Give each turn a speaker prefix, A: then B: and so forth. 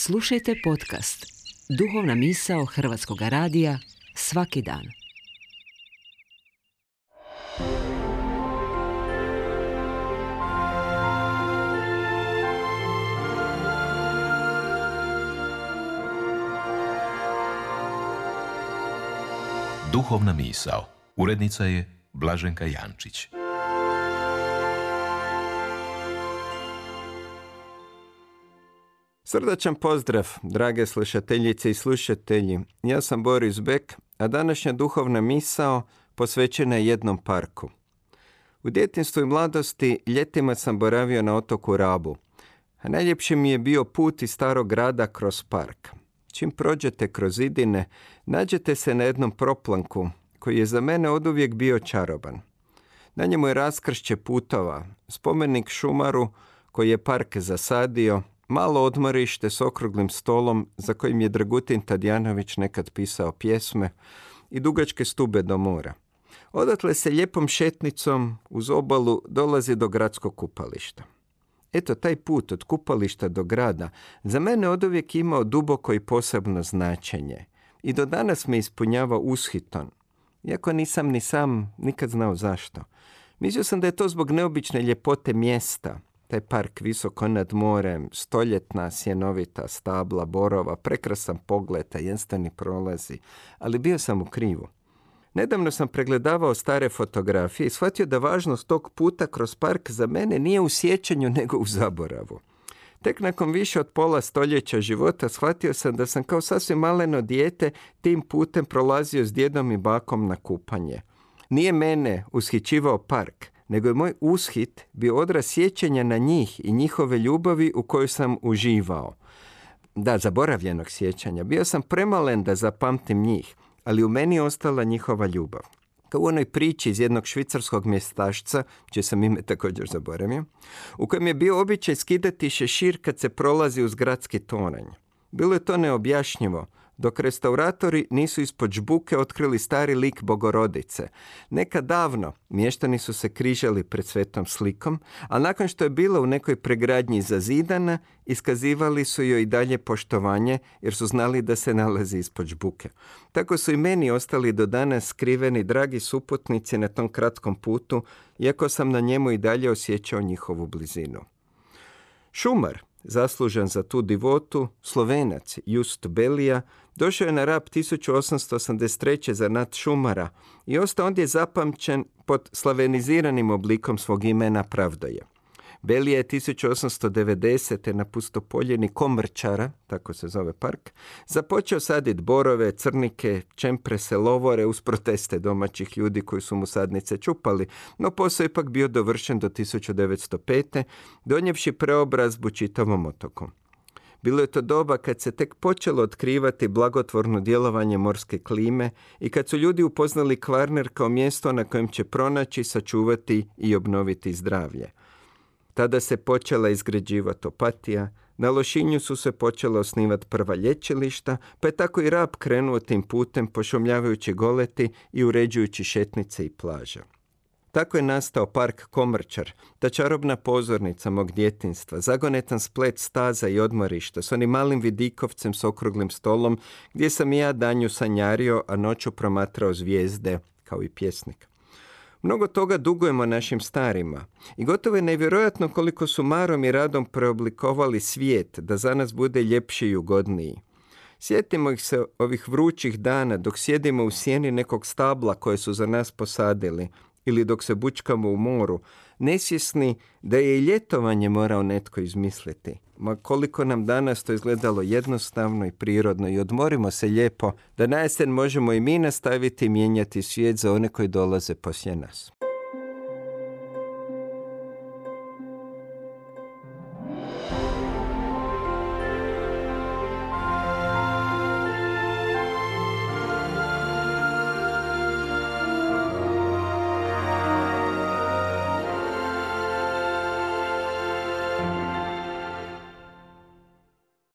A: Slušajte podcast Duhovna misao Hrvatskog radija svaki dan.
B: Duhovna misao. Urednica je Blaženka Jančić.
C: Srdačan pozdrav, drage slušateljice i slušatelji. Ja sam Boris Bek, a današnja duhovna misao posvećena je jednom parku. U djetinjstvu i mladosti ljetima sam boravio na otoku Rabu, a najljepši mi je bio put iz starog grada kroz park. Čim prođete kroz zidine, nađete se na jednom proplanku koji je za mene oduvijek bio čaroban. Na njemu je raskršće putova, spomenik šumaru koji je park zasadio, malo odmorište s okruglim stolom za kojim je Dragutin Tadijanović nekad pisao pjesme i dugačke stube do mora. Odatle se lijepom šetnicom uz obalu dolazi do gradskog kupališta. Eto, taj put od kupališta do grada za mene oduvijek imao duboko i posebno značenje i do danas me ispunjava ushitom, iako nisam ni sam nikad znao zašto. Mislio sam da je to zbog neobične ljepote mjesta. Taj park visoko nad morem, stoljetna sjenovita stabla borova, prekrasan pogled, tajanstveni prolazi, ali bio sam u krivu. Nedavno sam pregledavao stare fotografije i shvatio da važnost tog puta kroz park za mene nije u sjećanju nego u zaboravu. Tek nakon više od pola stoljeća života shvatio sam da sam kao sasvim maleno dijete tim putem prolazio s djedom i bakom na kupanje. Nije mene ushićivao park, nego je moj ushit bio odraz sjećanja na njih i njihove ljubavi u kojoj sam uživao. Da, zaboravljenog sjećanja. Bio sam premalen da zapamtim njih, ali u meni je ostala njihova ljubav. Kao u onoj priči iz jednog švicarskog mjestašca, čije sam ime također zaboravio, u kojem je bio običaj skidati šešir kad se prolazi uz gradski toranj. Bilo je to neobjašnjivo, dok restauratori nisu ispod žbuke otkrili stari lik Bogorodice. Nekad davno mještani su se križali pred svetom slikom, a nakon što je bila u nekoj pregradnji zazidana, iskazivali su joj i dalje poštovanje jer su znali da se nalazi ispod žbuke. Tako su i meni ostali do danas skriveni dragi suputnici na tom kratkom putu, iako sam na njemu i dalje osjećao njihovu blizinu. Šumar, zaslužan za tu divotu, Slovenac Just Belija, došao je na Rab 1883. za Nat Šumara i ostao ondje zapamćen pod slaveniziranim oblikom svog imena Pravdoje. Belija je 1890. na pustopoljini Komrčara, tako se zove park, započeo saditi borove, crnike, čemprese, lovore uz proteste domaćih ljudi koji su mu sadnice čupali, no posao je ipak bio dovršen do 1905. donijevši preobrazbu čitavom otoku. Bilo je to doba kad se tek počelo otkrivati blagotvorno djelovanje morske klime i kad su ljudi upoznali Kvarner kao mjesto na kojem će pronaći, sačuvati i obnoviti zdravlje. Tada se počela izgrađivati Opatija, na Lošinju su se počela osnivati prva lječilišta, pa je tako i Rab krenuo tim putem pošumljavajući goleti i uređujući šetnice i plaže. Tako je nastao park Komrčar, ta čarobna pozornica mog djetinjstva, zagonetan splet staza i odmorišta s onim malim vidikovcem s okruglim stolom gdje sam i ja danju sanjario, a noću promatrao zvijezde kao i pjesnik. Mnogo toga dugujemo našim starima i gotovo je nevjerojatno koliko su marom i radom preoblikovali svijet da za nas bude ljepši i ugodniji. Sjetimo ih se ovih vrućih dana dok sjedimo u sjeni nekog stabla koje su za nas posadili ili dok se bučkamo u moru, nesvjesni da je i ljetovanje morao netko izmisliti. Ma koliko nam danas to izgledalo jednostavno i prirodno i odmorimo se lijepo da na jesen možemo i mi nastaviti mijenjati svijet za one koji dolaze poslije nas.